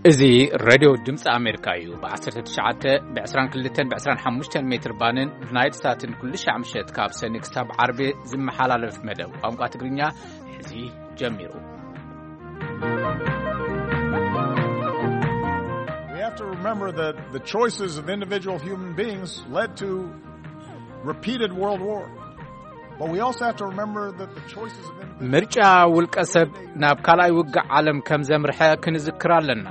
እዚ ሬድዮ ድምፂ ኣሜሪካ እዩ። ብ19፣ ብ22፣ ብ25 ሜትር ባንን ብናይል ሳትን ኩሉ ሻዕ ምሸት ካብ ሰኒ ክሳብ ዓርቢ ዝመሓላለፍ መደብ ቋንቋ ትግርኛ ሕዚ ጀሚሩ። We have to remember that the choices of individual human beings led to repeated world war. But we also have to remember that the choices of individual ምርጫ ውልቀ ሰብ ናብ ካልኣይ ውግእ ዓለም ከም ዘምርሐ ክንዝክር ኣለና።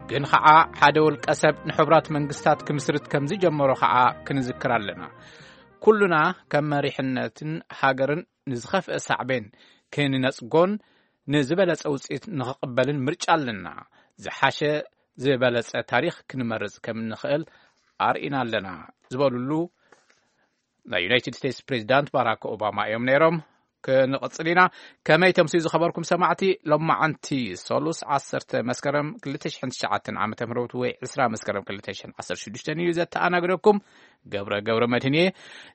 ግን ኸዓ ሓደ ውልቀ ሰብ ንሕቡራት መንግስታት ክምስርት ከም ዝጀመሮ ኸዓ ክንዝክር ኣለና። ኩሉና ከም መሪሕነትን ሃገርን ንዝኸፍአ ሳዕቤን ክንነጽጎን ንዝበለጸ ውጽኢት ንኽቕበልን ምርጫ ኣለና። ዝሓሸ ዝበለጸ ታሪኽ ክንመርጽ ከም እንኽእል ኣርኢና ኣለና ዝበሉሉ ናይ ዩናይትድ ስቴትስ ፕሬዚዳንት ባራክ ኦባማ እዮም ነይሮም። ክንቕጽል ኢና። ከመይ ተምስዩ ዝኸበርኩም ሰማዕቲ፣ ሎማዓንቲ ሶሉስ ዓሰርተ መስከረም ክልተ ሽሕን ትሽዓተን ዓመተ ምህረት ወይ ዕስራ መስከረም ክልተ ሽሕን ዓሰርተ ሽዱሽተን እዩ ዘተኣናግደኩም። ገብረ ገብረ መድህን እየ።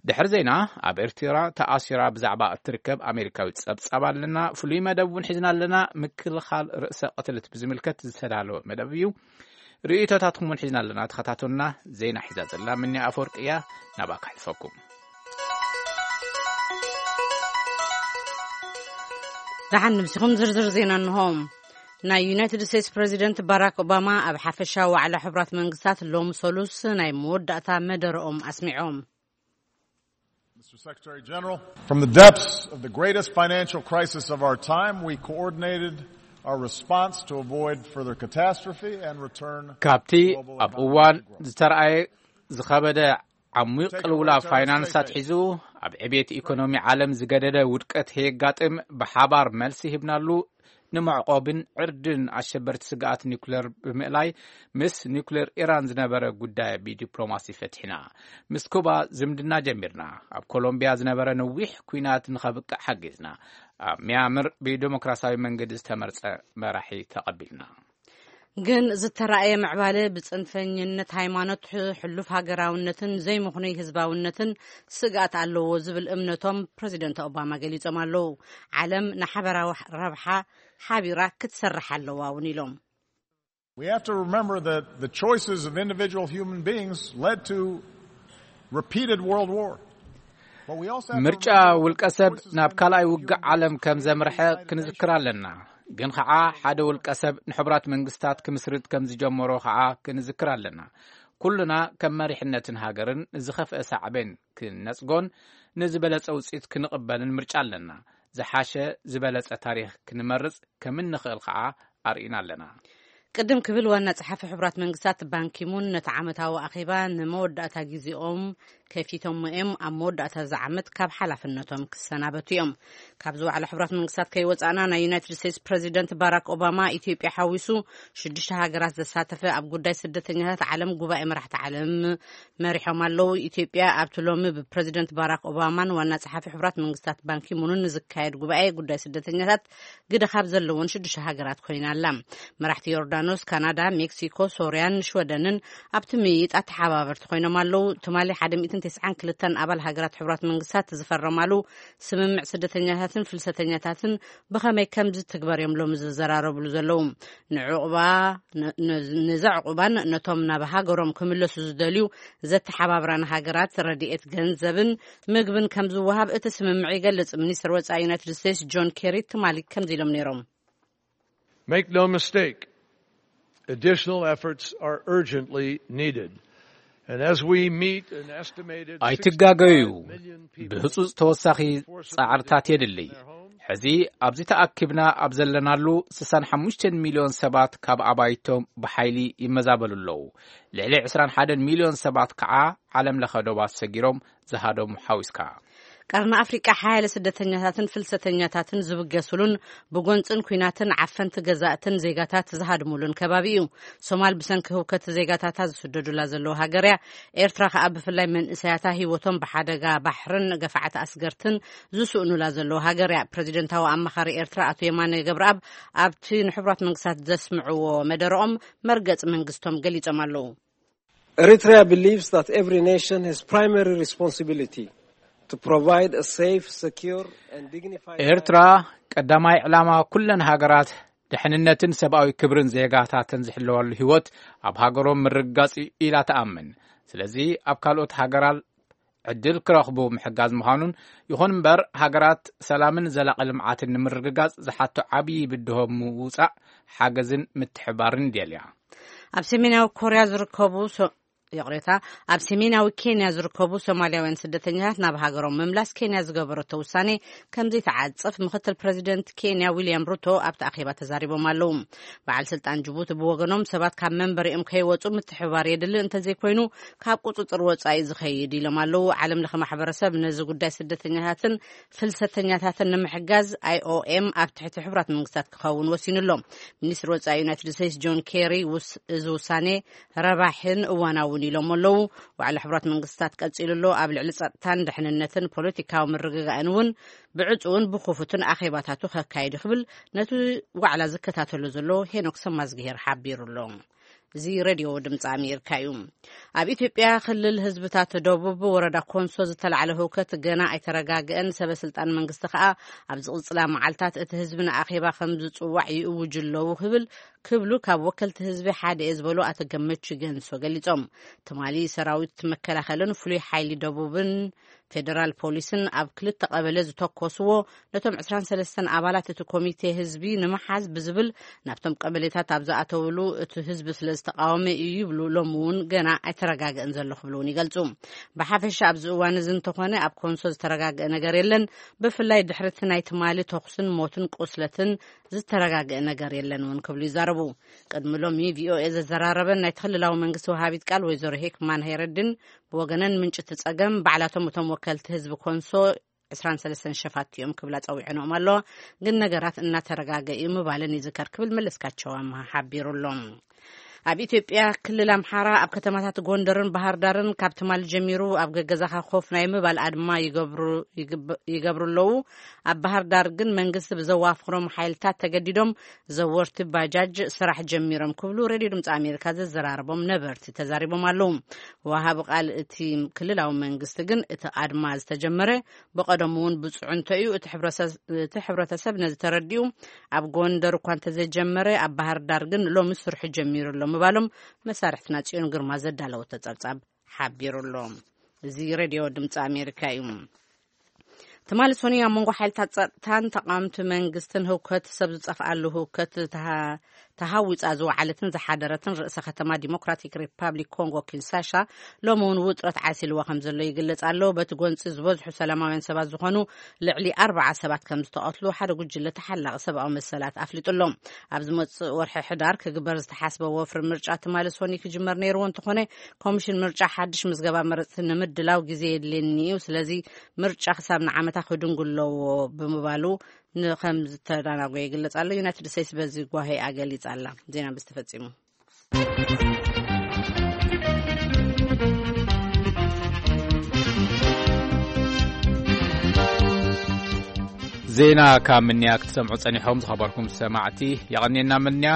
ድሕሪ ዜና ኣብ ኤርትራ ተኣሲራ ብዛዕባ እትርከብ ኣሜሪካዊት ጸብጻብ ኣለና። ፍሉይ መደብ እውን ሒዝና ኣለና። ምክልኻል ርእሰ ቅትለት ብዝምልከት ዝተዳለወ መደብ እዩ። ርእይቶታትኩም እውን ሒዝና ኣለና። ተኸታተሉና። ዜና ሒዛ ዘላ ምንያ ኣፈወርቂ እያ። ናባካ ሕልፈኩም። ደሓን ንምሲኹም ዝርዝር ዜና እንሆ። ናይ ዩናይትድ ስቴትስ ፕሬዚደንት ባራክ ኦባማ ኣብ ሓፈሻዊ ዋዕላ ሕቡራት መንግስታት ሎም ሶሉስ ናይ መወዳእታ መደረኦም ኣስሚዖም። Mister Secretary General, from the depths of the greatest financial crisis of our time, we coordinated our response to avoid further catastrophe and return ካብቲ ኣብ እዋን ዝተረኣየ ዝኸበደ ዓሚቕ ቅልውላ ፋይናንስ ኣትሒዙ ኣብ ዕቤት ኢኮኖሚ ዓለም ዝገደደ ውድቀት ከየጋጥም ብሓባር መልሲ ሂብናሉ። ንመዕቆብን ዕርድን ኣሸበርቲ ስግኣት ኒኩሌር ብምእላይ ምስ ኒኩሌር ኢራን ዝነበረ ጉዳይ ብዲፕሎማሲ ፈቲሕና። ምስ ኩባ ዝምድና ጀሚርና። ኣብ ኮሎምቢያ ዝነበረ ነዊሕ ኲናት ንኸብቅዕ ሓጊዝና። ኣብ ሚያምር ብዲሞክራሲያዊ መንገዲ ዝተመርጸ መራሒ ተቐቢልና። ግን ዝተራእየ ምዕባለ ብጽንፈኝነት ሃይማኖት፣ ሕሉፍ ሃገራውነትን ዘይምኽኑይ ህዝባውነትን ስግኣት ኣለዎ ዝብል እምነቶም ፕረዚደንት ኦባማ ገሊጾም ኣለዉ። ዓለም ንሓበራዊ ረብሓ ሓቢራ ክትሰርሕ ኣለዋ እውን ኢሎም። We have to remember that the choices of individual human beings led to repeated world war. But we also have to ምርጫ remember ውልቀ ሰብ ናብ ካልኣይ ውግእ ዓለም ከም ዘምርሐ ክንዝክር ኣለና። ግን ኸዓ ሓደ ውልቀ ሰብ ንሕቡራት መንግስታት ክምስርት ከም ዝጀመሮ ኸዓ ክንዝክር ኣለና። ኩሉና ከም መሪሕነትን ሃገርን ንዝኸፍአ ሳዕቤን ክንነጽጎን ንዝበለጸ ውጽኢት ክንቕበልን ምርጫ ኣለና። ዝሓሸ ዝበለጸ ታሪኽ ክንመርጽ ከም እንኽእል ኸዓ ኣርኢና ኣለና። ቅድም ክብል ዋና ጸሓፊ ሕቡራት መንግስታት ባንኪሙን ነቲ ዓመታዊ ኣኼባ ንመወዳእታ ግዜኦም ከፊቶሞ እዮም። ኣብ መወዳእታ እዚ ዓመት ካብ ሓላፍነቶም ክሰናበቱ እዮም። ካብዚ ዋዕላ ሕቡራት መንግስታት ከይወጻእና ናይ ዩናይትድ ስቴትስ ፕረዚደንት ባራክ ኦባማ ኢትዮጵያ ሓዊሱ ሽዱሽተ ሃገራት ዘሳተፈ ኣብ ጉዳይ ስደተኛታት ዓለም ጉባኤ መራሕቲ ዓለም መሪሖም ኣለዉ። ኢትዮጵያ ኣብቲ ሎሚ ብፕረዚደንት ባራክ ኦባማን ዋና ጸሓፊ ሕቡራት መንግስታት ባንኪሙንን ንዝካየድ ጉባኤ ጉዳይ ስደተኛታት ግደ ካብ ዘለወን ሽዱሽተ ሃገራት ኮይና ኣላ። መራሕቲ ዮርዳኖስ፣ ካናዳ፣ ሜክሲኮ፣ ሶርያን ሽወደንን ኣብቲ ምይይጥ ኣተሓባበርቲ ኮይኖም ኣለዉ። ትማሊ ሓደ ሚእትን ተስዓን ክልተን ኣባል ሃገራት ሕቡራት መንግስታት ዝፈረማሉ ስምምዕ ስደተኛታትን ፍልሰተኛታትን ብኸመይ ከም ዝትግበር እዮም ሎሚ ዝዘራረብሉ ዘለዉ። ንዕቑባ፣ ን-፣ ን-፣ ንዘዕቑባን ነቶም ናብ ሃገሮም ክምለሱ ዝደልዩ ዘተሓባብራን ሃገራት ረድኤት ገንዘብን ምግብን ከም ዝወሃብ እቲ ስምምዕ ይገልጽ። ሚኒስትር ወጻኢ ዩናይትድ ስቴትስ ጆን ኬሪ ትማሊ ከምዚ ኢሎም ነይሮም። Make no mistake, additional efforts are urgently needed. And as we meet an estimated ኣይትጋገዩ። ስክስቲ ፋይቭ ሚልዮን people ብህጹጽ ተወሳኺ ጻዕርታት የድሊ። ሕዚ ኣብዚ ተኣኪብና ኣብ ዘለናሉ ስሳን ሓሙሽተን ሚልዮን ሰባት ካብ ኣባይቶም ብሓይሊ ይመዛበሉ ኣለዉ። ልዕሊ ዕስራን ሓደን ሚልዮን ሰባት ከዓ ዓለም ለኸ ዶባት ሰጊሮም ዝሃደሙ ሓዊስካ። ቀርኒ ኣፍሪቃ ሓያለ ስደተኛታትን ፍልሰተኛታትን ዝብገሱሉን ብጎንጽን ኲናትን ዓፈንቲ ገዛእትን ዜጋታት ዝሃድሙሉን ከባቢ እዩ። ሶማል ብሰንኪ ህውከት ዜጋታታ ዝስደዱላ ዘለዉ ሃገር እያ። ኤርትራ ከኣ ብፍላይ መንእሰያታ ህይወቶም ብሓደጋ ባሕርን ገፋዕቲ ኣስገርትን ዝስእኑላ ዘለዉ ሃገር እያ። ፕረዚደንታዊ ኣማኻሪ ኤርትራ ኣቶ የማነ ገብረኣብ ኣብቲ ንሕቡራት መንግስታት ዘስምዕዎ መደረኦም መርገጽ መንግስቶም ገሊጾም ኣለዉ። Eritrea believes that every nation has primary responsibility to provide a safe, secure and dignified ኤርትራ ቀዳማይ ዕላማ ኩለን ሃገራት ድሕንነትን ሰብኣዊ ክብርን ዜጋታትን ዝሕለወሉ ህይወት ኣብ ሃገሮም ምርግጋጽ እዩ ኢላ ትኣምን። ስለዚ ኣብ ካልኦት ሃገራት ዕድል ክረኽቡ ምሕጋዝ ምዃኑን፣ ይኹን እምበር ሃገራት ሰላምን ዘላቒ ልምዓትን ንምርግጋጽ ዝሓቶ ዓብዪ ብድሆ ምውጻእ ሓገዝን ምትሕባርን ይደልያ። ኣብ ሰሜናዊ ኮርያ ዝርከቡ ሶ-፣ ይቕሬታ፣ ኣብ ሰሜናዊ ኬንያ ዝርከቡ ሶማልያውያን ስደተኛታት ናብ ሃገሮም ምምላስ ኬንያ ዝገበረቶ ውሳኔ ከም ዘይተዓጽፍ ምኽትል ፕረዚደንት ኬንያ ዊልያም ሩቶ ኣብቲ ኣኼባ ተዛሪቦም ኣለዉ። በዓል ስልጣን ጅቡቲ ብወገኖም ሰባት ካብ መንበሪኦም ከይወጹ ምትሕባር የድሊ፣ እንተዘይኮይኑ ካብ ቁጽጽር ወጻኢ ዝኸይድ ኢሎም ኣለዉ። ዓለም ለኸ ማሕበረሰብ ነዚ ጉዳይ ስደተኛታትን ፍልሰተኛታትን ንምሕጋዝ ኣይ ኦ ኤም ኣብ ትሕቲ ሕቡራት መንግስታት ክኸውን ወሲኑ ኣሎ። ሚኒስትሪ ወጻኢ ዩናይትድ ስቴትስ ጆን ኬሪ ውስ-፣ እዚ ውሳኔ ረባሕን እዋናውን ኢሎም ኣለዉ። ዋዕላ ሕቡራት መንግስታት ቀጺሉ ኣሎ። ኣብ ልዕሊ ጸጥታን ድሕንነትን ፖለቲካዊ ምርግጋእን እውን ብዕጹውን ብክፉትን ኣኼባታቱ ከካይድ ክብል ነቲ ዋዕላ ዝከታተሎ ዘሎ ሄኖክ ሰማዝግሄር ሓቢሩ ኣሎ። እዚ ሬድዮ ድምፂ ኣሜሪካ እዩ። ኣብ ኢትዮጵያ ክልል ህዝብታት ደቡብ ወረዳ ኮንሶ ዝተላዕለ ህውከት ገና ኣይተረጋግአን። ሰበ ስልጣን መንግስቲ ከኣ ኣብ ዝቕጽላ መዓልታት እቲ ህዝቢ ንኣኼባ ከም ዝጽዋዕ ይእውጁ ኣለዉ ክብል ክብሉ ካብ ወከልቲ ህዝቢ ሓደ እየ ዝበሉ ኣቶ ገመቹ ገንሶ ገሊጾም። ትማሊ ሰራዊት መከላኸልን ፍሉይ ሓይሊ ደቡብን ፌደራል ፖሊስን ኣብ ክልተ ቀበሌ ዝተኮስዎ ነቶም ዕስራን ሰለስተን ኣባላት እቲ ኮሚቴ ህዝቢ ንምሓዝ ብዝብል ናብቶም ቀበሌታት ኣብ ዝኣተውሉ እቲ ህዝቢ ስለ ዝተቃወመ እዩ ይብሉ። ሎም እውን ገና ኣይተረጋገእን ዘሎ ክብሉ እውን ይገልጹ። ብሓፈሻ ኣብዚ እዋን እዚ እንተኾነ ኣብ ኮንሶ ዝተረጋገአ ነገር የለን። ብፍላይ ድሕርቲ ናይ ትማሊ ተኹስን ሞትን ቁስለትን ዝተረጋገአ ነገር የለን እውን ክብሉ ይዛረቡ። ቅድሚ ሎሚ ቪ ኦ ኤ ዘዘራረበን ናይ ክልላዊ መንግስቲ ወሃቢት ቃል ወይዘሮ ሄክማን ሃይረድን ብወገነን ምንጭ እቲ ጸገም ባዕላቶም እቶም ወከልቲ ህዝቢ ኮንሶ ዕስራን ሰለስተን ሸፋት እዮም ክብላ ጸዊዐንኦም ኣለዋ። ግን ነገራት እናተረጋገ እዩ ምባለን ይዝከር ክብል መለስካቸው ኣምሃ ሓቢሩ ኣሎ። ኣብ ኢትዮጵያ ክልል ኣምሓራ ኣብ ከተማታት ጎንደርን ባህር ዳርን ካብ ትማሊ ጀሚሩ ኣብ ገገዛኻ ኮፍ ናይ ምባል ኣድማ ይገብሩ፣ ይግብ-፣ ይገብሩ ኣለዉ። ኣብ ባህር ዳር ግን መንግስቲ ብዘዋፍሮም ሓይልታት ተገዲዶም ዘወርቲ ባጃጅ ስራሕ ጀሚሮም ክብሉ ሬድዮ ድምፂ ኣሜሪካ ዘዘራረቦም ነበርቲ ተዛሪቦም ኣለዉ። ወሃቢ ቃል እቲ ክልላዊ መንግስቲ ግን እቲ ኣድማ ዝተጀመረ ብቐደሙ እውን ብፅዑንቶ እዩ። እቲ ሕብረሰ-፣ እቲ ሕብረተሰብ ነዚ ተረዲኡ ኣብ ጎንደር እኳ እንተዘይጀመረ ኣብ ባህር ዳር ግን ሎሚ ስርሑ ጀሚሩ ኣሎ ምባሎም መሳርሕትና ጽዮን ግርማ ዘዳለወቶ ጸብጻብ ሓቢሩ ኣሎ። እዚ ሬድዮ ድምፂ ኣሜሪካ እዩ። ትማሊ ሰኑይ ኣብ መንጎ ሓይልታት ጸጥታን ተቃወምቲ መንግስትን ህውከት ሰብ ዝጠፍኣሉ ህውከት ተሃ-፣ ተሃዊጻ ዝወዓለትን ዝሓደረትን ርእሰ ከተማ ዲሞክራቲክ ሪፓብሊክ ኮንጎ ኪንሳሻ ሎሚ እውን ውጥረት ዓሲልዋ ከም ዘሎ ይግለጽ ኣሎ። በቲ ጎንጺ ዝበዝሑ ሰላማውያን ሰባት ዝኾኑ ልዕሊ ኣርባዓ ሰባት ከም ዝተቐትሉ ሓደ ጉጅለ ተሓላቒ ሰብኣዊ መሰላት ኣፍሊጡ ኣሎ። ኣብ ዝመጽእ ወርሒ ሕዳር ክግበር ዝተሓስበ ወፍሪ ምርጫ ትማሊ ሰኑይ ክጅመር ነይርዎ እንተኾነ ኮሚሽን ምርጫ ሓድሽ ምዝገባ መረጽቲ ንምድላው ግዜ የድልየኒ እዩ፣ ስለዚ ምርጫ ክሳብ ንዓመታ ክድንጉ ኣለዎ ብምባሉ ንከም ዝተዳናጎ ይግለጽ ኣሎ። ዩናይትድ ስቴትስ በዚ ጓሄኣ ገሊጻ ኣላ። ዜና ምስ ተፈጺሙ። ዜና ካብ ምንያ ክትሰምዑ ጸኒሖም ዝኸበርኩም ሰማዕቲ፣ የቐንየና ምንያ።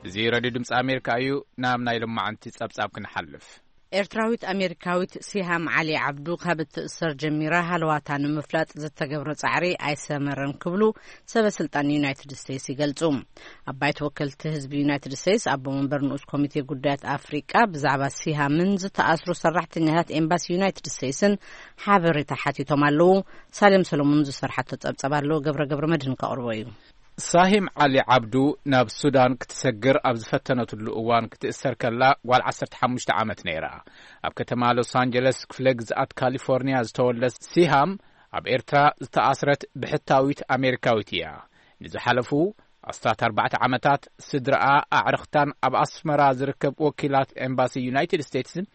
እዚ ሬድዮ ድምፂ ኣሜሪካ እዩ። ናብ ናይ ሎማዓንቲ ጸብጻብ ክንሓልፍ። ኤርትራዊት ኣሜሪካዊት ሲሃም ዓሊ ዓብዱ ካብ እትእሰር ጀሚራ ሃለዋታ ንምፍላጥ ዝተገብረ ጻዕሪ ኣይሰመረን ክብሉ ሰበ ስልጣን ዩናይትድ ስቴትስ ይገልጹ። ኣብ ባይቶ ወከልቲ ህዝቢ ዩናይትድ ስቴትስ ኣቦ መንበር ንኡስ ኮሚቴ ጉዳያት ኣፍሪቃ ብዛዕባ ሲሃምን ዝተኣስሩ ሰራሕተኛታት ኤምባሲ ዩናይትድ ስቴትስን ሓበሬታ ሓቲቶም ኣለዉ። ሳሌም ሰሎሞን ዝሰርሓቶ ጸብጸብ ኣሎ፣ ገብረ ገብረ መድህን ከቕርቦ እዩ። ሳሂም ዓሊ ዓብዱ ናብ ሱዳን ክትሰግር ኣብ ዝፈተነትሉ እዋን ክትእሰር ከላ ጓል ዓሰርተ ሓሙሽተ ዓመት ነይራ። ኣብ ከተማ ሎስ ኣንጀለስ ክፍለ ግዝኣት ካሊፎርኒያ ዝተወልደ ሲሃም ኣብ ኤርትራ ዝተኣስረት ብሕታዊት ኣሜሪካዊት እያ። ንዝሓለፉ ኣስታት ኣርባዕተ ዓመታት ስድራኣ ኣዕርኽታን ኣብ ኣስመራ ዝርከብ ወኪላት ኤምባሲ ዩናይትድ ስቴትስን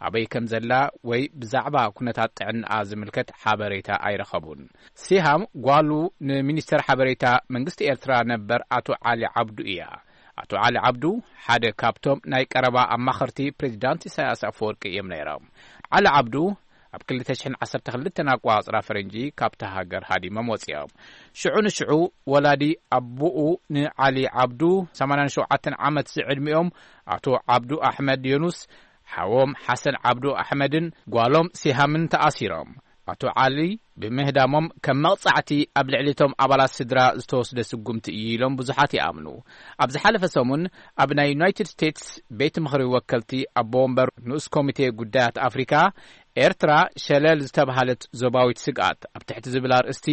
ኣበይ ከም ዘላ ወይ ብዛዕባ ኩነታት ጥዕናኣ ዝምልከት ሓበሬታ ኣይረኸቡን። ሲሃም ጓሉ ንሚኒስተር ሓበሬታ መንግስቲ ኤርትራ ነበር ኣቶ ዓሊ ዓብዱ እያ። ኣቶ ዓሊ ዓብዱ ሓደ ካብቶም ናይ ቀረባ ኣማኸርቲ ፕሬዚዳንት ኢሳያስ ኣፈወርቂ እዮም ነይሮም። ዓሊ ዓብዱ ኣብ ክልተ ሽሕን ዓሰርተ ክልተን ኣቋጽራ ፈረንጂ ካብታ ሃገር ሃዲሞም ወጺኦም። ሽዑ ንሽዑ ወላዲ ኣቦኡ ንዓሊ ዓብዱ ሰማንያን ሸውዓተን ዓመት ዝዕድሚኦም ኣቶ ዓብዱ ኣሕመድ ዮኑስ፣ ሓዎም ሓሰን ዓብዱ ኣሕመድን ጓሎም ሲሃምን ተኣሲሮም። ኣቶ ዓሊ ብምህዳሞም ከም መቕጻዕቲ ኣብ ልዕሊ እቶም ኣባላት ስድራ ዝተወስደ ስጉምቲ እዩ ኢሎም ብዙሓት ይኣምኑ። ኣብ ዝሓለፈ ሰሙን ኣብ ናይ ዩናይትድ ስቴትስ ቤት ምኽሪ ወከልቲ ኣቦ ወንበር ንኡስ ኮሚቴ ጉዳያት ኣፍሪካ፣ ኤርትራ ሸለል ዝተብሃለት ዞባዊት ስግኣት ኣብ ትሕቲ ዝብል ኣርእስቲ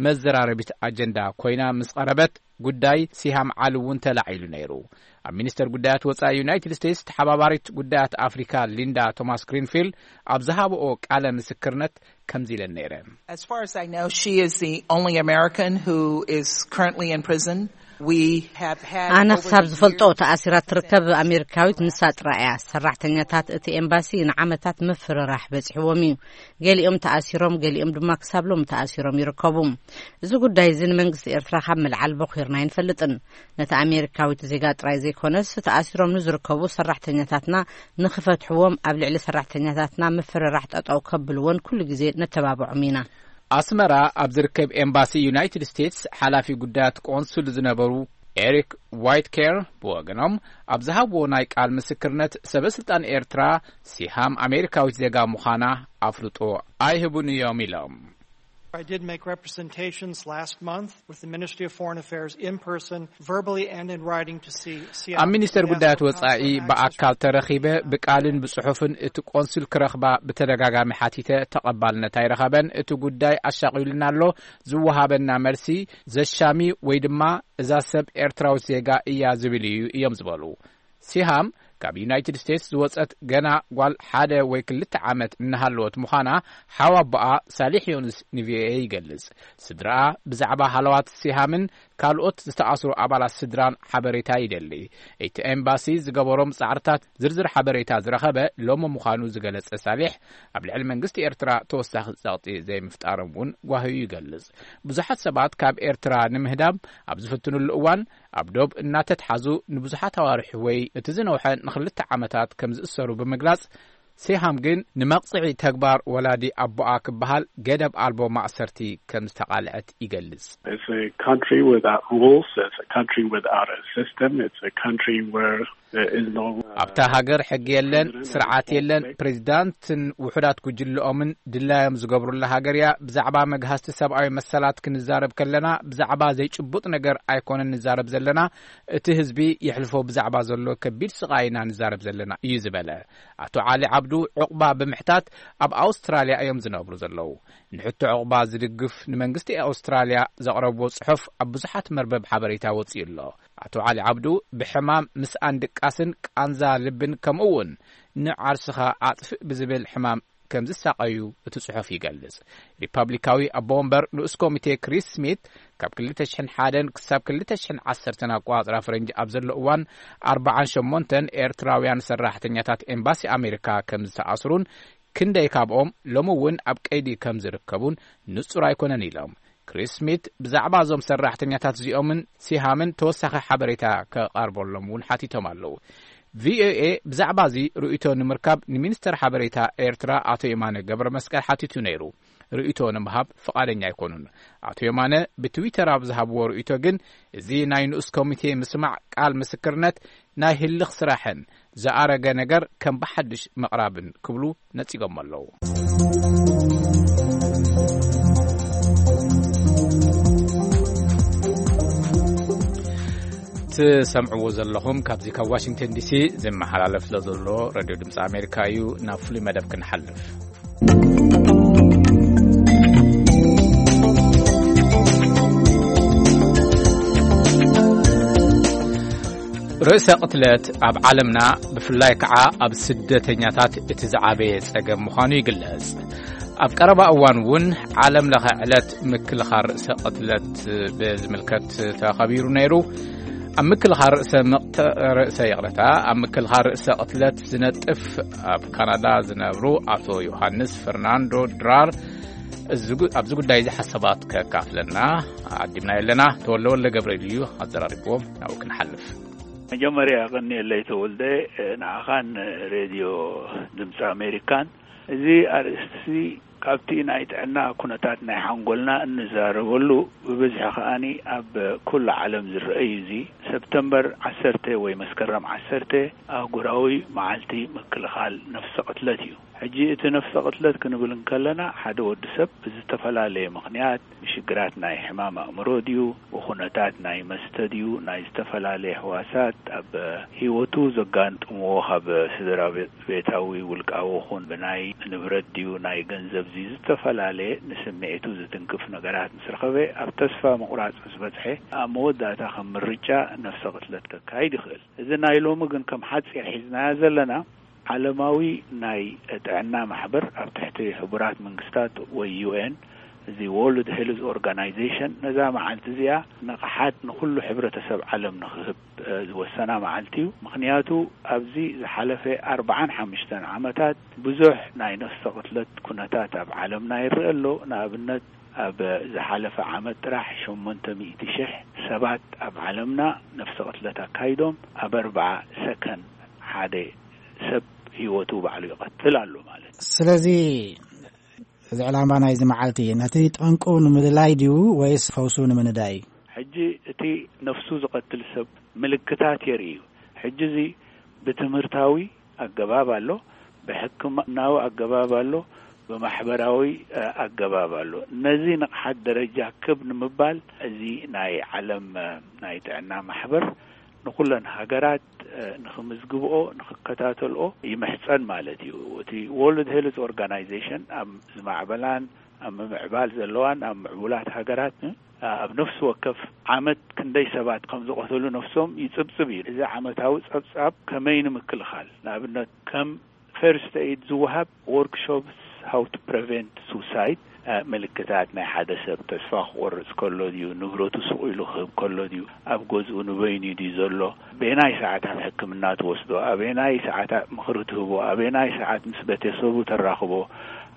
መዘራረቢት ኣጀንዳ ኮይና ምስ ቀረበት፣ ጉዳይ ሲሃም ዓሊ እውን ተላዒሉ ነይሩ። ኣብ ሚኒስተር ጉዳያት ወጻኢ ዩናይትድ ስቴትስ ተሓባባሪት ጉዳያት ኣፍሪካ ሊንዳ ቶማስ ግሪንፊልድ ኣብ ዝሃብኦ ቃለ ምስክርነት ከምዚ ኢለን ነይረን። As far as I know, she is the only American who is currently in prison. We have had ኣነ over ክሳብ the ዝፈልጦ years ተኣሲራ ትርከብ ኣሜሪካዊት ንሳ ጥራይ እያ። ሰራሕተኛታት እቲ ኤምባሲ ንዓመታት ምፍርራሕ በጺሕዎም እዩ። ገሊኦም ተኣሲሮም፣ ገሊኦም ድማ ክሳብ ሎሚ ተኣሲሮም ይርከቡ። እዚ ጉዳይ እዚ ንመንግስቲ ኤርትራ ካብ ምልዓል በኺርና ኣይንፈልጥን። ነቲ ኣሜሪካዊት ዜጋ ጥራይ ዘይኮነስ፣ ተኣሲሮም ንዝርከቡ ሰራሕተኛታትና ንኽፈትሕዎም፣ ኣብ ልዕሊ ሰራሕተኛታትና ምፍርራሕ ጠጠው ከብልዎን ኩሉ ግዜ ነተባብዖም ኢና። ኣስመራ ኣብ ዝርከብ ኤምባሲ ዩናይትድ ስቴትስ ሓላፊ ጉዳያት ቆንሱል ዝነበሩ ኤሪክ ዋይትኬር ብወገኖም ኣብ ዝሃብዎ ናይ ቃል ምስክርነት፣ ሰበ ስልጣን ኤርትራ ሲሃም ኣሜሪካዊት ዜጋ ምዃና ኣፍልጦ ኣይህቡን እዮም ኢሎም። I did make representations last month with the Ministry of Foreign Affairs in person, verbally and in writing to see. ኣብ ሚኒስተር ጉዳያት ወጻኢ ብኣካል ተረኺበ፣ ብቃልን ብጽሑፍን እቲ ቆንሱል ክረኽባ ብተደጋጋሚ ሓቲተ፣ ተቐባልነት ኣይረኸበን። እቲ ጉዳይ ኣሻቒሉና ኣሎ። ዝወሃበና መልሲ ዘሻሚ ወይ ድማ እዛ ሰብ ኤርትራዊት ዜጋ እያ ዝብል እዩ እዮም ዝበሉ። ሲሃም ካብ ዩናይትድ ስቴትስ ዝወጸት ገና ጓል ሓደ ወይ ክልተ ዓመት እናሃለወት ምዃና ሓው ኣቦኣ ሳሊሕ ዮኑስ ንቪኦኤ ይገልጽ። ስድራኣ ብዛዕባ ሃለዋት ሲሃምን ካልኦት ዝተኣስሩ ኣባላት ስድራን ሓበሬታ ይደሊ። እቲ ኤምባሲ ዝገበሮም ጻዕርታት ዝርዝር ሓበሬታ ዝረኸበ ሎሚ ምዃኑ ዝገለጸ ሳሊሕ፣ ኣብ ልዕሊ መንግስቲ ኤርትራ ተወሳኺ ጸቕጢ ዘይምፍጣሮም እውን ጓሂኡ ይገልጽ። ብዙሓት ሰባት ካብ ኤርትራ ንምህዳም ኣብ ዝፍትኑሉ እዋን፣ ኣብ ዶብ እናተትሓዙ ንብዙሓት ኣዋርሕ ወይ እቲ ዝነውሐ ንኽልተ ዓመታት ከም ዝእሰሩ ብምግላጽ፣ ሲሃም ግን ንመቕጽዒ ተግባር ወላዲ ኣቦኣ ክበሃል ገደብ ኣልቦ ማእሰርቲ ከም ዝተቓልዐት ይገልጽ። It's a country without rules. It's a country without a system. It's a country where there is no, uh, ኣብታ ሃገር ሕጊ የለን፣ ስርዓት የለን። ፕሬዚዳንትን ውሑዳት ጉጅለኦምን ድላዮም ዝገብሩላ ሃገር እያ። ብዛዕባ መግሃስቲ ሰብኣዊ መሰላት ክንዛረብ ከለና፣ ብዛዕባ ዘይጭቡጥ ነገር ኣይኮነን ንዛረብ ዘለና። እቲ ህዝቢ የሕልፎ ብዛዕባ ዘሎ ከቢድ ስቓይ ኢና ንዛረብ ዘለና እዩ ዝበለ። ኣቶ ዓሊ ዓብዱ ዑቕባ ብምሕታት ኣብ ኣውስትራልያ እዮም ዝነብሩ ዘለዉ። ንሕቶ ዑቕባ ዝድግፍ ንመንግስቲ ኣውስትራልያ ዘቕረብዎ ጽሑፍ ኣብ ብዙሓት መርበብ ሓበሬታ ወጺኡ ኣሎ። ኣቶ ዓሊ ዓብዱ ብሕማም ምስኣን ድቃስን ቃንዛ ልብን ከምኡ እውን ንዓርስኻ ኣጥፍእ ብዝብል ሕማም ከም ዝሳቐዩ እቲ ጽሑፍ ይገልጽ። ሪፓብሊካዊ ኣቦ ወንበር ንኡስ ኮሚቴ ክሪስ ስሚት ካብ ክልተ ሽሕን ሓደን ክሳብ ክልተ ሽሕን ዓሰርተን ኣቆጻጽራ ፈረንጂ ኣብ ዘሎ እዋን ኣርባዓን ሸሞንተን ኤርትራውያን ሰራሕተኛታት ኤምባሲ ኣሜሪካ ከም ዝተኣስሩን ክንደይ ካብኦም ሎሚ እውን ኣብ ቀይዲ ከም ዝርከቡን ንጹር ኣይኮነን ኢሎም። ክሪስ ስሚት ብዛዕባ እዞም ሰራሕተኛታት እዚኦምን ሲሃምን ተወሳኺ ሓበሬታ ከቐርበሎም እውን ሓቲቶም ኣለዉ። ቪኦኤ ብዛዕባ እዚ ርእይቶ ንምርካብ ንሚኒስተር ሓበሬታ ኤርትራ ኣቶ የማነ ገብረ መስቀል ሓቲቱ ነይሩ። ርእይቶ ንምሃብ ፍቓደኛ ኣይኮኑን። ኣቶ የማነ ብትዊተር ኣብ ዝሃብዎ ርእይቶ ግን፣ እዚ ናይ ንኡስ ኮሚቴ ምስማዕ ቃል ምስክርነት ናይ ህልኽ ስራሕን ዝኣረገ ነገር ከም ብሓድሽ ምቕራብን ክብሉ ነጺጎም ኣለዉ። ትሰምዕዎ ዘለኹም ካብዚ ካብ ዋሽንግተን ዲሲ ዝመሓላለፍ ዘሎ ሬድዮ ድምፂ ኣሜሪካ እዩ። ናብ ፍሉይ መደብ ክንሓልፍ። ርእሰ ቅትለት ኣብ ዓለምና ብፍላይ ከዓ ኣብ ስደተኛታት እቲ ዝዓበየ ጸገም ምዃኑ ይግለጽ። ኣብ ቀረባ እዋን እውን ዓለም ለኸ ዕለት ምክልኻል ርእሰ ቅትለት ብዝምልከት ተኸቢሩ ነይሩ። ኣብ ምክልኻል ርእሰ ምቕት-፣ ርእሰ ይቕረታ፣ ኣብ ምክልኻል ርእሰ ቅትለት ዝነጥፍ ኣብ ካናዳ ዝነብሩ ኣቶ ዮሃንስ ፈርናንዶ ድራር እዚ ጉ-፣ ኣብዚ ጉዳይ እዚ ሓሳባት ከካፍለና ዓዲምና ኣለና። ተወልደ ወልደ ገብርኤል እዩ ኣዘራሪብዎም። ናብኡ ክንሓልፍ። መጀመርያ ቀኒየለይ ተወልደ፣ ንዓኻን ሬድዮ ድምፂ ኣሜሪካን። እዚ ኣርእስቲ ካብቲ ናይ ጥዕና ኩነታት ናይ ሓንጎልና እንዛረበሉ፣ ብብዝሒ ከኣኒ ኣብ ኩሉ ዓለም ዝረኣይ እዩ። እዚ ሰፕተምበር ዓሰርተ ወይ መስከረም ዓሰርተ ኣህጉራዊ መዓልቲ ምክልኻል ነፍሰ ቅትለት እዩ። ሕጂ እቲ ነፍሰ ቅትለት ክንብል እንከለና፣ ሓደ ወዲ ሰብ ብዝተፈላለየ ምኽንያት ብሽግራት ናይ ሕማም ኣእምሮ ድዩ፣ ብኹነታት ናይ መስተ ድዩ፣ ናይ ዝተፈላለየ ሕዋሳት ኣብ ህይወቱ ዘጋጥምዎ፣ ካብ ስድራ ቤታዊ፣ ውልቃዊ ኹን ብናይ ንብረት ድዩ፣ ናይ ገንዘብ ድዩ፣ ዝተፈላለየ ንስምዒቱ ዝትንክፍ ነገራት ምስ ረኸበ፣ ኣብ ተስፋ ምቑራጽ ምስ በጽሐ፣ ኣብ መወዳእታ ከም ምርጫ ነፍሰ ቅትለት ከካይድ ይኽእል። እዚ ናይ ሎሚ ግን ከም ሓጺር ሒዝናያ ዘለና፣ ዓለማዊ ናይ ጥዕና ማሕበር ኣብ ትሕቲ ሕቡራት መንግስታት ወይ ዩ ኤን፣ እዚ ወርልድ ሄልዝ ኦርጋናይዜሽን፣ ነዛ መዓልቲ እዚኣ ንቕሓት ንኹሉ ሕብረተሰብ ዓለም ንኽህብ፣ እ፣ ዝወሰና መዓልቲ እዩ። ምኽንያቱ ኣብዚ ዝሓለፈ ኣርብዓን ሓሙሽተን ዓመታት ብዙሕ ናይ ነፍሰ ቅትለት ኩነታት ኣብ ዓለምና ይረአ ኣሎ። ንኣብነት ኣብ ዝሓለፈ ዓመት ጥራሕ ሸሞንተ ሚእቲ ሽሕ ሰባት ኣብ ዓለምና ነፍሰ ቅትለት ኣካይዶም፣ ኣብ ኣርብዓ ሰከንድ ሓደ ሰብ ህይወቱ ባዕሉ ይቐትል ኣሎ ማለት እዩ። ስለዚ እዚ ዕላማ ናይዚ መዓልቲ ነቲ ጠንቁ ንምልላይ ድዩ ወይስ ፈውሱ ንምንዳይ እዩ? ሕጂ እቲ ነፍሱ ዝቐትል ሰብ ምልክታት የርኢ እዩ። ሕጂ እዚ ብትምህርታዊ ኣገባብ ኣሎ፣ ብሕክምናዊ ኣገባብ ኣሎ፣ ብማሕበራዊ፣ እ፣ ኣገባብ ኣሎ። ነዚ ንቕሓት ደረጃ ክብ ንምባል እዚ ናይ ዓለም፣ እ፣ ናይ ጥዕና ማሕበር ንኹለን ሃገራት፣ እ፣ ንኽምዝግብኦ፣ ንኽከታተልኦ ይምሕጸን ማለት እዩ። እቲ ወርልድ ሄልዝ ኦርጋናይዜሽን ኣብ ዝማዕበላን ኣብ ምምዕባል ዘለዋን ኣብ ምዕቡላት ሃገራት፣ እ፣ ኣብ ነፍሲ ወከፍ ዓመት ክንደይ ሰባት ከም ዝቐተሉ ነፍሶም ይጽብጽብ እዩ። እዚ ዓመታዊ ጸብጻብ ከመይ ንምክልኻል፣ ንኣብነት ከም ፈርስት ኤይድ ዝወሃብ ወርክሾፕስ፣ how to prevent suicide፣ እ፣ ምልክታት ናይ ሓደ ሰብ ተስፋ ክቆርጽ ከሎ ድዩ፣ ንብረቱ ስቕ ኢሉ ክህብ ከሎ ድዩ፣ ኣብ ገዝኡ ንበይኑ ድዩ ዘሎ፣ ኣበየናይ ሰዓት ኣብ ሕክምና ትወስዶ፣ ኣበየናይ ሰዓት ምኽሪ ትህቦ፣ ኣበየናይ ሰዓት ምስ ቤተሰቡ ተራኽቦ፣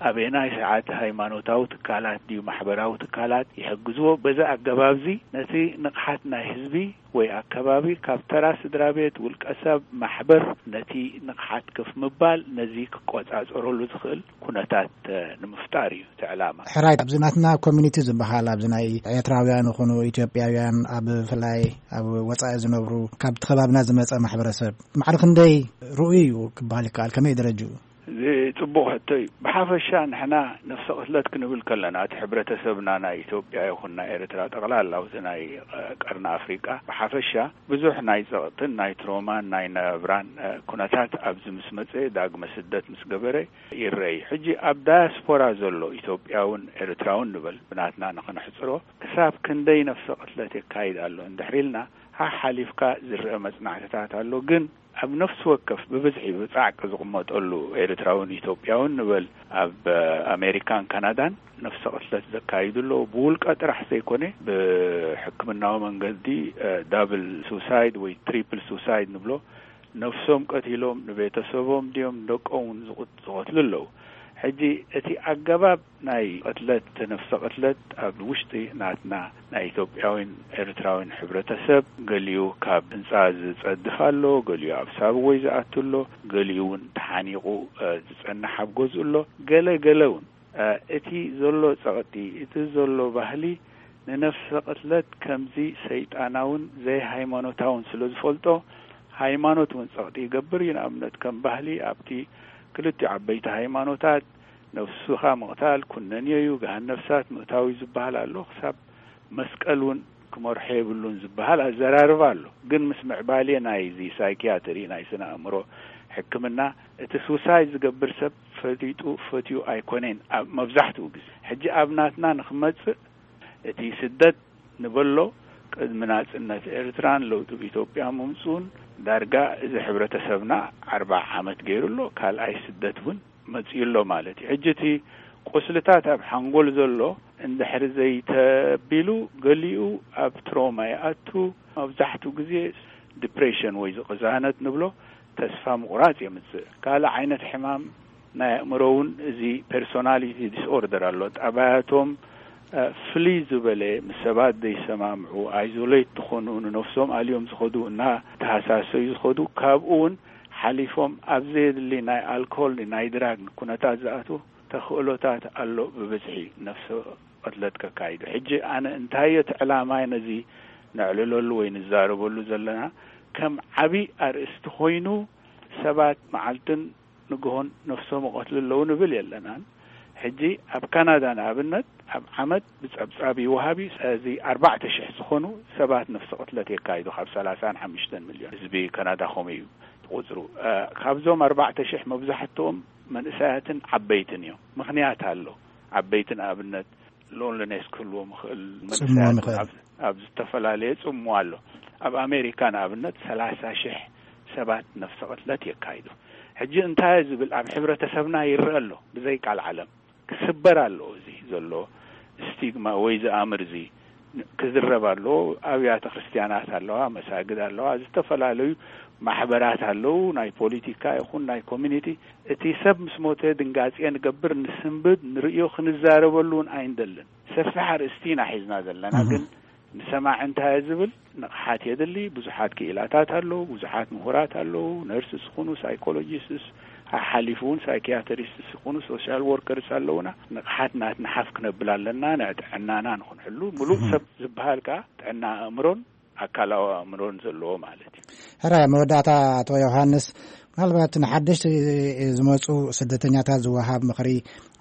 ኣበየናይ ሰዓት ሃይማኖታዊ ትካላት ድዩ ማሕበራዊ ትካላት ይሕግዝዎ። በዚ ኣገባብዚ ነቲ ንቕሓት ናይ ህዝቢ ወይ ኣከባቢ ካብ ተራ ስድራ ቤት፣ ውልቀ ሰብ፣ ማሕበር ነቲ ንቕሓት ከፍ ምባል ነዚ ክቆጻጸረሉ ዝኽእል ኩነታት፣ እ፣ ንምፍጣር እዩ እቲ ዕላማ። ሕራይ፣ ኣብዚ ናትና ኮሚኒቲ ዝበሃል፣ ኣብዚ ናይ ኤርትራውያን ይኹኑ ኢትዮጵያውያን፣ ኣብ ብፍላይ ኣብ ወጻኢ ዝነብሩ፣ ካብቲ ከባብና ዝመጸ ማሕበረሰብ ማዕረ ክንደይ ርኡይ እዩ ክበሃል ይከኣል? ከመይ ደረጅኡ? እዚ ጽቡቕ ሕቶ እዩ። ብሓፈሻ ንሕና ነፍሰ ቅትለት ክንብል ከለና፣ እቲ ሕብረተሰብና ናይ ኢትዮጵያ ይኹን ናይ ኤርትራ፣ ጠቕላላ እቲ ናይ፣ እ፣ ቀርኒ ኣፍሪቃ ብሓፈሻ ብዙሕ ናይ ጸቕጥን ናይ ትሮማን ናይ ናብራን፣ እ፣ ኩነታት ኣብዚ ምስ መጸ፣ ዳግመ ስደት ምስ ገበረ ይረኣይ። ሕጂ ኣብ ዳያስፖራ ዘሎ ኢትዮጵያውን ኤርትራውን ንበል፣ ብናትና ንኽንሕጽሮ፣ ክሳብ ክንደይ ነፍሰ ቅትለት የካይድ ኣሎ እንድሕር ኢልና፣ ሓሓሊፍካ ዝረአ መጽናዕትታት ኣሎ። ግን ኣብ ነፍሲ ወከፍ ብብዝሒ ብጻዕቂ ዝቕመጠሉ ኤርትራውን ኢትዮጵያውን ንበል፣ ኣብ ኣሜሪካን ካናዳን ነፍሰ ቅትለት ዘካይዱ ኣለዉ። ብውልቀ ጥራሕ ዘይኮነ፣ ብሕክምናዊ መንገዲ፣ እ፣ ዳብል ሱሳይድ ወይ ትሪፕል ሱሳይድ ንብሎ፣ ነፍሶም ቀቲሎም ንቤተሰቦም ድዮም ንደቆም እውን ዝቕት-፣ ዝቐትሉ ኣለዉ። ሕጂ እቲ ኣገባብ ናይ ቅትለት፣ ነፍሰ ቅትለት ኣብ ውሽጢ ናትና ናይ ኢትዮጵያዊን ኤርትራዊን ሕብረተሰብ፣ ገሊኡ ካብ ህንጻ ዝጸድፍ ኣሎ፣ ገሊኡ ኣብ ሳብወይ ዝኣቱ ኣሎ፣ ገሊኡ እውን ተሓኒቑ፣ እ፣ ዝጸንሕ ኣብ ገዝኡ ኣሎ። ገለ ገለ እውን፣ እ፣ እቲ ዘሎ ጸቕጢ፣ እቲ ዘሎ ባህሊ ንነፍሰ ቅትለት ከምዚ ሰይጣናውን ዘይሃይማኖታውን ስለ ዝፈልጦ፣ ሃይማኖት እውን ጸቕጢ ይገብር እዩ። ንኣብነት ከም ባህሊ ኣብቲ ክልቲኡ ዓበይቲ ሃይማኖታት ነፍስኻ ምቕታል ኩነኔ እዩ፣ ገሃነብ እሳት ምእታው እዩ ዝበሃል ኣሎ። ክሳብ መስቀል እውን ክመርሖ የብሉን ዝበሃል ኣዘራርባ ኣሎ። ግን ምስ ምዕባሌ ናይዚ ሳይኪያትሪ፣ ናይ ስነ ኣእምሮ ሕክምና፣ እቲ ሱሳይድ ዝገብር ሰብ ፈሊጡ ፈትዩ ኣይኮነን ኣብ መብዛሕትኡ ግዜ። ሕጂ ኣብ ናትና ንኽመጽእ፣ እቲ ስደት ንበሎ፣ ቅድሚ ናጽነት ኤርትራን ለውጢ ኣብ ኢትዮጵያ ምምጽኡን ዳርጋ እዚ ሕብረተሰብና ኣርብዓ ዓመት ገይሩ ኣሎ። ካልኣይ ስደት እውን መጺኡ ኣሎ ማለት እዩ። ሕጂ እቲ ቁስልታት ኣብ ሓንጎል ዘሎ እንድሕሪ ዘይተቢሉ፣ ገሊኡ ኣብ ትሮማ ይኣቱ። መብዛሕትኡ ግዜ ዲፕሬሽን ወይ ዝቕዛነት ንብሎ፣ ተስፋ ምቑራጽ የምጽእ። ካልእ ዓይነት ሕማም ናይ ኣእምሮ እውን፣ እዚ ፐርሶናሊቲ ዲስኦርደር ኣሎ። ጠባያቶም፣ እ፣ ፍልይ ዝበለ፣ ምስ ሰባት ዘይሰማምዑ፣ ኣይዞሌት ዝኾኑ፣ ንነፍሶም ኣልዮም ዝኸዱ፣ እናተሃሳሰዩ ዝኸዱ፣ ካብኡ እውን ሓሊፎም ኣብ ዘየድሊ ናይ ኣልኮል፣ ናይ ድራግ ኩነታት ዝኣትዉ ተኽእሎታት ኣሎ ብብዝሒ ነፍሰ ቅትለት ከካይዱ። ሕጂ ኣነ እንታይ እቲ ዕላማይ ነዚ ነዕልለሉ ወይ ንዛረበሉ ዘለና? ከም ዓቢ ኣርእስቲ ኮይኑ ሰባት መዓልትን ንግሆን ነፍሶም ይቐትሉ ኣለዉ ንብል የለናን። ሕጂ ኣብ ካናዳ ንኣብነት ኣብ ዓመት ብጸብጻብ ይወሃብ እዩ። እዚ ኣርባዕተ ሽሕ ዝኾኑ ሰባት ነፍሲ ቅትለት የካይዱ ካብ ሰላሳን ሓሙሽተን ሚልዮን ህዝቢ ካናዳ ከምኡ እዩ ቁጽሩ። እ፣ ካብዞም ኣርባዕተ ሽሕ መብዛሕትኦም መንእሰያትን ዓበይትን እዮም። ምኽንያት ኣሎ። ዓበይቲ ንኣብነት ሎንሊነስ ክህልዎም ይኽእል፣ ጽምዋ መንእሰያት ይኽእል። ኣብ፣ ኣብ ዝተፈላለየ ጽምዋ ኣሎ። ኣብ ኣሜሪካ ንኣብነት ሰላሳ ሽሕ ሰባት ነፍሰ ቅትለት የካይዱ። ሕጂ እንታይ ዝብል ኣብ ሕብረተሰብና ይረአ ኣሎ። ብዘይ ቃል ዓለም ክስበር ኣለዎ። እዚ ዘሎ ስቲግማ ወይ ዝኣምር እዚ ክዝረብ ኣለዎ። ኣብያተ ክርስቲያናት ኣለዋ፣ መሳግድ ኣለዋ፣ ዝተፈላለዩ ማሕበራት ኣለዉ፣ ናይ ፖሊቲካ ይኹን ናይ ኮሚኒቲ። እቲ ሰብ ምስ ሞተ ድንጋጼ ንገብር፣ ንስንብድ፣ ንርእዮ፣ ክንዛረበሉ እውን ኣይንደልን። ሰፊሕ ኣርእስቲ ኢና ሒዝና ዘለና፣ እህ። ግን ንሰማዒ እንታይ ዝብል ንቕሓት የድሊ። ብዙሓት ክኢላታት ኣለዉ፣ ብዙሓት ምሁራት ኣለዉ፣ ነርስስ ይኹኑ ሳይኮሎጂስትስ፣ ሓሊፉ እውን ሳይኪያትሪስትስ ይኹኑ ሶሻል ወርከርስ ኣለዉና። ንቕሓት ናትና ሓፍ ክነብል ኣለና፣ ንጥዕናና ንኽንሕሉ። ምሉእ እህ። ሰብ ዝበሃል ከኣ ጥዕና ኣእምሮን ኣካላዊ ኣእምሮን ዘለዎ ማለት እዩ። ሕራይ፣ መወዳእታ ኣቶ ዮሃንስ፣ ምናልባት ንሓደሽቲ ዝመጹ ስደተኛታት ዝወሃብ ምኽሪ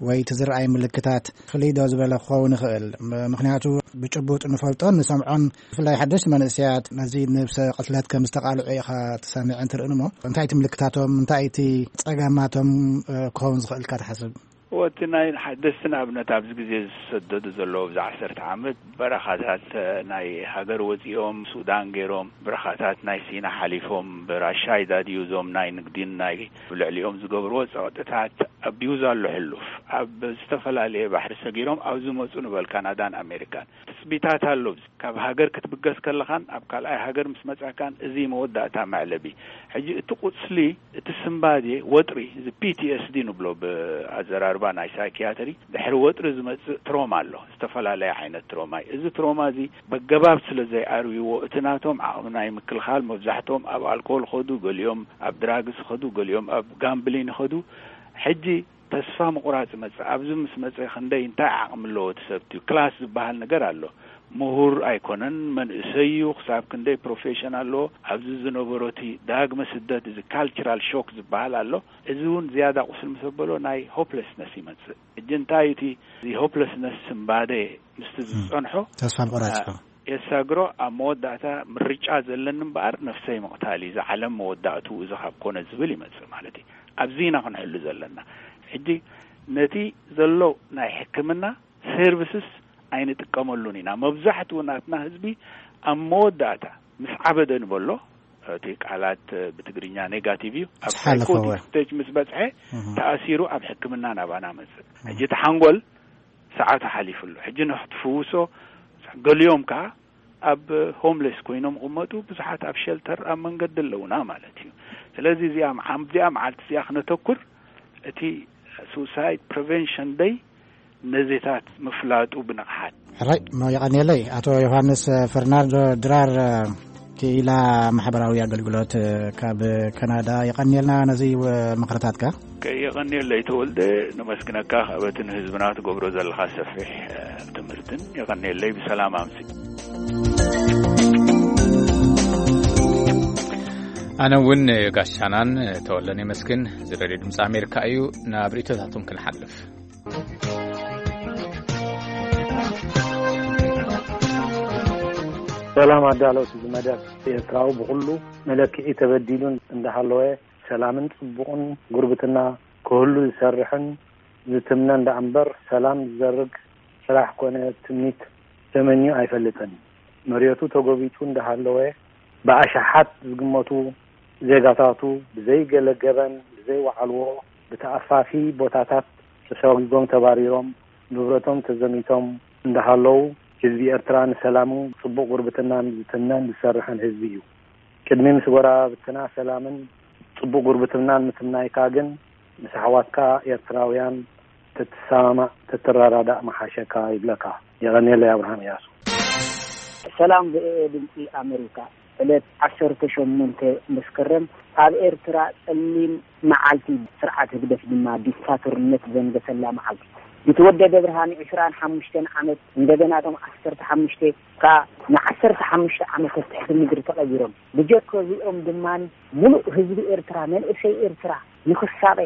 ወይ እቲ ዝረኣይ ምልክታት ፍልይ ዶ ዝበለ ክኸውን ይኽእል? ም-፣ ምኽንያቱ ብጭቡጥ ንፈልጦን ንሰምዖን፣ ብፍላይ ሓደሽቲ መንእሰያት ነዚ ነብሰ ቅትለት ከም ዝተቓልዑ ኢኻ ትሰምዕን ትርእን እሞ፣ እንታይ እቲ ምልክታቶም፣ እንታይ እቲ ጸገማቶም፣ እ፣ ክኸውን ዝኽእል ኢልካ ትሓስብ? ወቲ ናይ ሓደስቲ ንኣብነት ኣብዚ ግዜ ዝሰደዱ ዘለዉ ኣብዚ ዓሰርተ ዓመት በረኻታት ናይ ሃገር ወጺኦም ሱዳን ገይሮም በረኻታት ናይ ሲና ሓሊፎም ብራሻ ይዳድዩ እዞም ናይ ንግዲን ናይ ልዕሊኦም ዝገብርዎ ጸቕጥታት ኣቢዩዝ ኣሎ ሕሉፍ ኣብ ዝተፈላለየ ባሕሪ ሰጊሮም ኣብ ዝመጹ ንበል ካናዳን ኣሜሪካን ትጽቢታት ኣሎ። ካብ ሃገር ክትብገስ ከለኻን ኣብ ካልኣይ ሃገር ምስ መጻካን እዚ መወዳእታ መዕለቢ። ሕጂ እቲ ቁስሊ እቲ ስምባዴ ወጥሪ፣ እዚ ፒ ቲ ኤስ ዲ ንብሎ ብኣዘራርባ ናይ ሳይኪያትሪ፣ ድሕሪ ወጥሪ ዝመጽእ ትሮማ ኣሎ። ዝተፈላለየ ዓይነት ትሮማ እዩ። እዚ ትሮማ እዚ በገባብ ስለ ዘይኣርይዎ፣ እቲ ናቶም ዓቕሚ ናይ ምክልኻል፣ መብዛሕትኦም ኣብ ኣልኮል ይኸዱ፣ ገሊኦም ኣብ ድራግስ ይኸዱ፣ ገሊኦም ኣብ ጋምብሊን ይኸዱ። ሕጂ ተስፋ ምቑራጽ ይመጽእ። ኣብዚ ምስ መጸ ክንደይ እንታይ ዓቕሚ ኣለዎ እቲ ሰብ? እቲ ክላስ ዝበሃል ነገር ኣሎ። ምሁር ኣይኮነን፣ መንእሰይ እዩ፣ ክሳብ ክንደይ ፕሮፌሽን ኣለዎ። ኣብዚ ዝነበሮ እቲ ዳግመ ስደት፣ እዚ ካልቸራል ሾክ ዝበሃል ኣሎ። እዚ እውን ዝያዳ ቁስል ምስ ኣበሎ ናይ ሆፕለስነስ ይመጽእ። ሕጂ እንታይ እዩ እቲ፣ እዚ ሆፕለስነስ ስምባደ ምስቲ ዝጸንሖ፣ ተስፋ ምቑራጽ አ፣ ይኸውን። የሳግሮ ኣብ መወዳእታ ምርጫ ዘለኒ እምበኣር ነፍሰይ ምቕታል እዩ፣ እዚ ዓለም መወዳእትኡ እዚ ካብ ኮነ ዝብል ይመጽእ ማለት እዩ። ኣብዚ ኢና ክንሕሉ ዘለና። ሕጂ ነቲ ዘሎ ናይ ሕክምና ሰርቪስስ ኣይንጥቀመሉን ኢና። መብዛሕትኡ ናትና ህዝቢ ኣብ መወዳእታ ምስ ዓበደ ንበሎ፣ እቲ ቃላት ብትግርኛ ኔጋቲቭ እዩ። ኣብ ምስ ሓለፈ ሳይኮቲክ እወ። ስቴጅ ምስ በጽሐ እህ። ተኣሲሩ ኣብ ሕክምና ናባና መጽእ። እህ። ሕጂ እቲ ሓንጎል ሰዓቱ ሓሊፉ ኣሎ። ሕጂ ንኽትፍውሶ ገሊኦም ከኣ ኣብ ሆምለስ ኮይኖም ይቕመጡ፣ ብዙሓት ኣብ ሸልተር ኣብ መንገዲ ኣለውና ማለት እዩ። ስለዚ እዚኣ መዓ-፣ ኣብዚኣ መዓልቲ እዚኣ ክነተኩር፣ እቲ ሱሳይድ ፕሪቨንሽን ደይ ነዚታት ምፍላጡ ብንቕሓት። ሕራይ፣ ሞ የቐንየለይ። ኣቶ ዮሃንስ ፈርናንዶ ድራር፣ ክኢላ ማሕበራዊ ኣገልግሎት ካብ ካናዳ፣ የቐንየልና ነዚ ምኽርታትካ። ከየቐንየለይ ተወልደ፣ ነመስግነካ ካብ እቲ ንህዝብና ትገብሮ ዘለኻ ሰፊሕ፣ እ፣ ትምህርትን። የቐንየለይ፣ ብሰላም ኣምሲ። ኣነ እውን ጋሻናን ተወልደን የመስግን። እዚ ሬድዮ ድምፂ ኣሜሪካ እዩ። ናብ ርእይቶታቶም ክንሓልፍ። ሰላም ኣዳለውቲ እዚ መደብ። ኤርትራዊ ብኹሉ መለክዒ ተበዲሉን እንዳሃለወ ሰላምን ጽቡቕን ጉርብትና ክህሉ ዝሰርሕን ዝትምነን ደኣ እምበር ሰላም ዝዘርግ ስራሕ ኮነ ትምኒት ተመንዩ ኣይፈልጥን። መሬቱ ተጎቢጡ እንዳሃለወ ብኣሽሓት ዝግመቱ ዜጋታቱ ብዘይገለ ገበን ብዘይወዓልዎ ብተኣፋፊ ቦታታት ተሰጒጎም ተባሪሮም ንብረቶም ተዘሚቶም እንዳሃለዉ ህዝቢ ኤርትራ ንሰላሙ ጽቡቕ ጉርብትናን ዝትምነን ዝሰርሕን ህዝቢ እዩ። ቅድሚ ምስ ጎረባብትና ሰላምን ጽቡቕ ጉርብትናን ምትምናይካ ግን ምስ ኣሕዋትካ ኤርትራውያን ተትሰማማዕ ተትረዳዳእ ምሓሸካ ይብለካ። የቐንየለይ። ኣብርሃም እያሱ። ሰላም ድምፂ ኣሜሪካ። ዕለት ዓሰርተ ሸሞንተ መስከረም ኣብ ኤርትራ ጸሊም መዓልቲ፣ ስርዓት ህግደፍ ድማ ዲክታቶርነት ዘንገሰላ መዓልቲ። ቢተወደደ ብርሃን ዕስራን ሓሙሽተን ዓመት፣ እንደገና እቶም ዓሰርተ ሓሙሽተ ከኣ ንዓሰርተ ሓሙሽተ ዓመት ኣብ ትሕቲ ምድሪ ተቐቢሮም። ብጀካ እዚኦም ድማ ምሉእ ህዝቢ ኤርትራ፣ መንእሰይ ኤርትራ ንኽሳቐ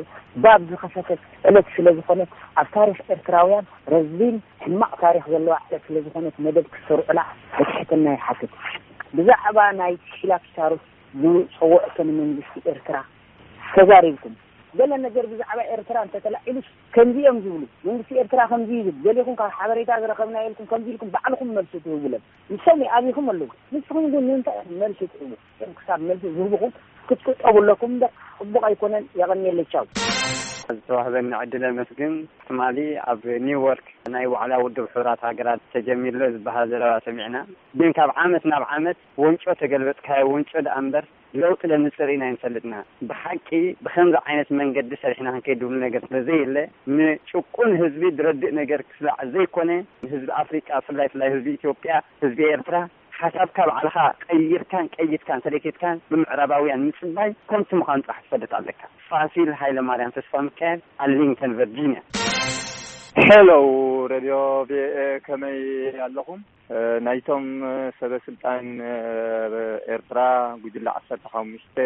ባብ ዝኸፈተት ዕለት ስለ ዝኾነት፣ ኣብ ታሪኽ ኤርትራውያን ረዚን ሕማቕ ታሪኽ ዘለዋ ዕለት ስለ ዝኾነት፣ መደብ ክትሰርዑላ ብትሕትና ይሓትት። ብዛዕባ ናይ ኪላፕሳሩስ ዝጸውዕቶ ንመንግስቲ ኤርትራ ተዛሪብኩም። ገለ ነገር ብዛዕባ ኤርትራ እንተተላዒሉስ ከምዚ እዮም ዝብሉ። መንግስቲ ኤርትራ ከምዚ ይብል። ገሊኹም ካብ ሓበሬታ ዝረኸብና ኢልኩም ከምዚ ኢልኩም ባዕልኹም መልሲ ትህቡለን። ንሶም ይኣብይኹም ኣለዉ። ንስኹም ግን ንምንታይ ኢኹም መልሲ ትህቡ? እዮም ክሳብ መልሲ ዝህብኹም ክትቁጠቡ ኣለኩም እምበር፣ ጽቡቕ ኣይኮነን። የቐንየለይ። ቻው። ዝተዋህበኒ ዕድል ኣመስግን። ትማሊ ኣብ ኒውዮርክ ናይ ዋዕላ ውድብ ሕቡራት ሃገራት ተጀሚሩ ዝበሃል ዘረባ ሰሚዕና። ግን ካብ ዓመት ናብ ዓመት ወንጮ ተገልበጥካዮ ወንጮ ደኣ እምበር ለውጢ ለምጽእ ርኢና ኣይንፈልጥና። ብሓቂ ብኸምዚ ዓይነት መንገዲ ሰሪሕና ክንከይድ ድብሉ ነገር ስለ ዘየለ፣ ንጭቁን ህዝቢ ድረድእ ነገር ክስላዕ ዘይኮነ፣ ንህዝቢ ኣፍሪቃ፣ ፍላይ ፍላይ ህዝቢ ኢትዮጵያ፣ ህዝቢ ኤርትራ፣ ሓሳብካ ባዕልኻ ቀይርካን ቀይድካን ሰለኬትካን ብምዕራባውያን ምጽባይ ኮንቱ ምዃኑ ጥራሕ ትፈልጥ ኣለካ። ፋሲል ሃይለማርያም ተስፋ ሚካኤል፣ ኣርሊንግተን ቨርጂኒያ። ሄሎ፣ ሬድዮ ቪኦኤ፣ ከመይ ኣለኹም? እ፣ ናይቶም፣ እ፣ ሰበ ስልጣን፣ እ፣ ኤርትራ፣ ጉጅለ ዓሰርተ ሓሙሽተ፣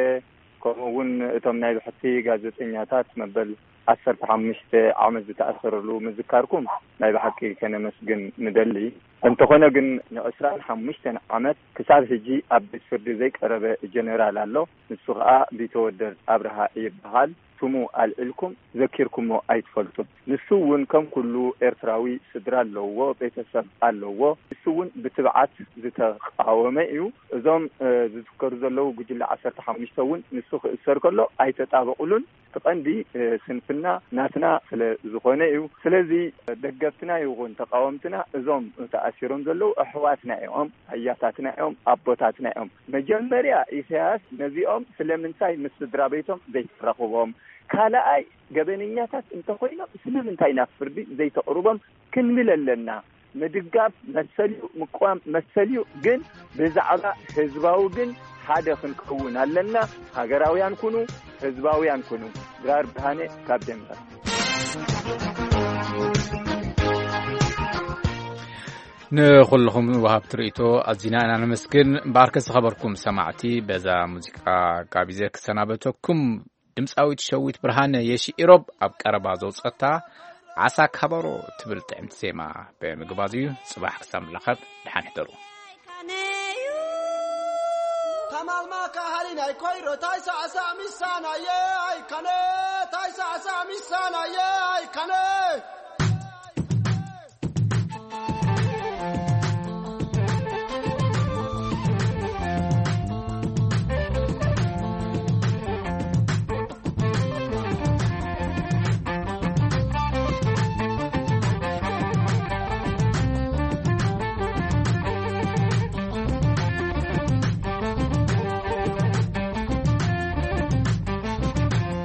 ከምኡ እውን እቶም ናይ ብሕቲ ጋዜጠኛታት መበል ዓሰርተ ሓሙሽተ ዓመት ዝተኣሰረሉ ምዝካርኩም ናይ ብሓቂ ከነመስግን ንደሊ። እንተኾነ ግን ንዕስራን ሓሙሽተን ዓመት ክሳብ ሕጂ ኣብ ቤት ፍርዲ ዘይቀረበ ጀነራል ኣሎ። ንሱ ኸኣ ቢተወደድ ኣብርሃ ይበሃል። ስሙ ኣልዒልኩም ዘኪርኩሞ ኣይትፈልጡን። ንሱ እውን ከም ኩሉ ኤርትራዊ ስድራ ኣለዎ፣ ቤተሰብ ኣለዎ። ንሱ እውን ብትብዓት ዝተቃወመ እዩ። እዞም፣ እ፣ ዝዝከሩ ዘለዉ ጉጅለ ዓሰርተ ሓሙሽተ እውን ንሱ ክእሰር ከሎ ኣይተጣበቑሉን። እቲ ቀንዲ፣ እ፣ ስንፍና ናትና ስለ ዝኾነ እዩ። ስለዚ ደገፍትና ይኹን ተቃወምትና እዞም ተኣሲሮም ዘለዉ ኣሕዋትና እዮም፣ ኣያታትና እዮም፣ ኣቦታትና እዮም። መጀመርያ ኢሳያስ ነዚኦም ስለምንታይ ምስ ስድራ ቤቶም ዘይተራኽቦም? ካልኣይ ገበነኛታት እንተኾይኖም ስለምንታይ ናብ ፍርዲ ዘይተቕርቦም ክንብል ኣለና። ምድጋፍ መሰል እዩ፣ ምቅዋም መሰል እዩ። ግን ብዛዕባ ህዝባዊ ግን ሓደ ክንከውን ኣለና። ሃገራውያን ኩኑ፣ ህዝባውያን ኩኑ። ድራር ብርሃነ ካብ ደንቨር። ንኹልኹም ወሃብቲ ርእይቶ ኣዚና ኢና ነመስግን። እምበኣርከ ዝኸበርኩም ሰማዕቲ፣ በዛ ሙዚቃ ጋቢዘ ክሰናበተኩም። ድምፃዊት ሸዊት ብርሃነ የሺ ኢሮብ ኣብ ቀረባ ዘውፀታ ዓሳ ካበሮ ትብል ጥዕምቲ ዜማ ብምግባዝ እዩ። ፅባሕ ክሳብ ንራኸብ ደሓን ሕደሩ። ከማልማ ካሃሊ ናይ ኮይሮ ታይሳዕሳዕ ሚሳናየ ኣይካነ፣ ታይሳዕሳዕ ሚሳናየ ኣይካነ።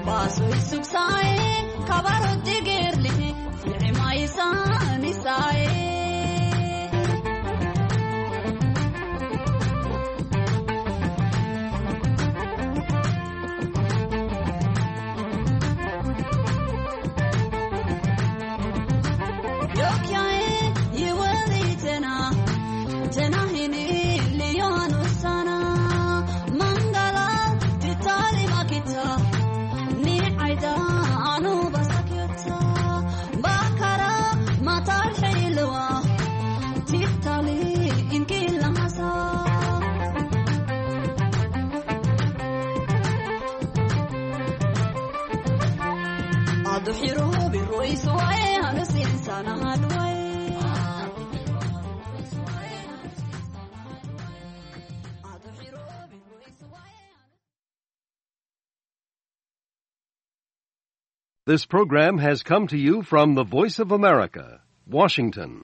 ባሶይ ሱክሳይ ካባሮ ዲግርሊ This program has come to you from the Voice of America, Washington.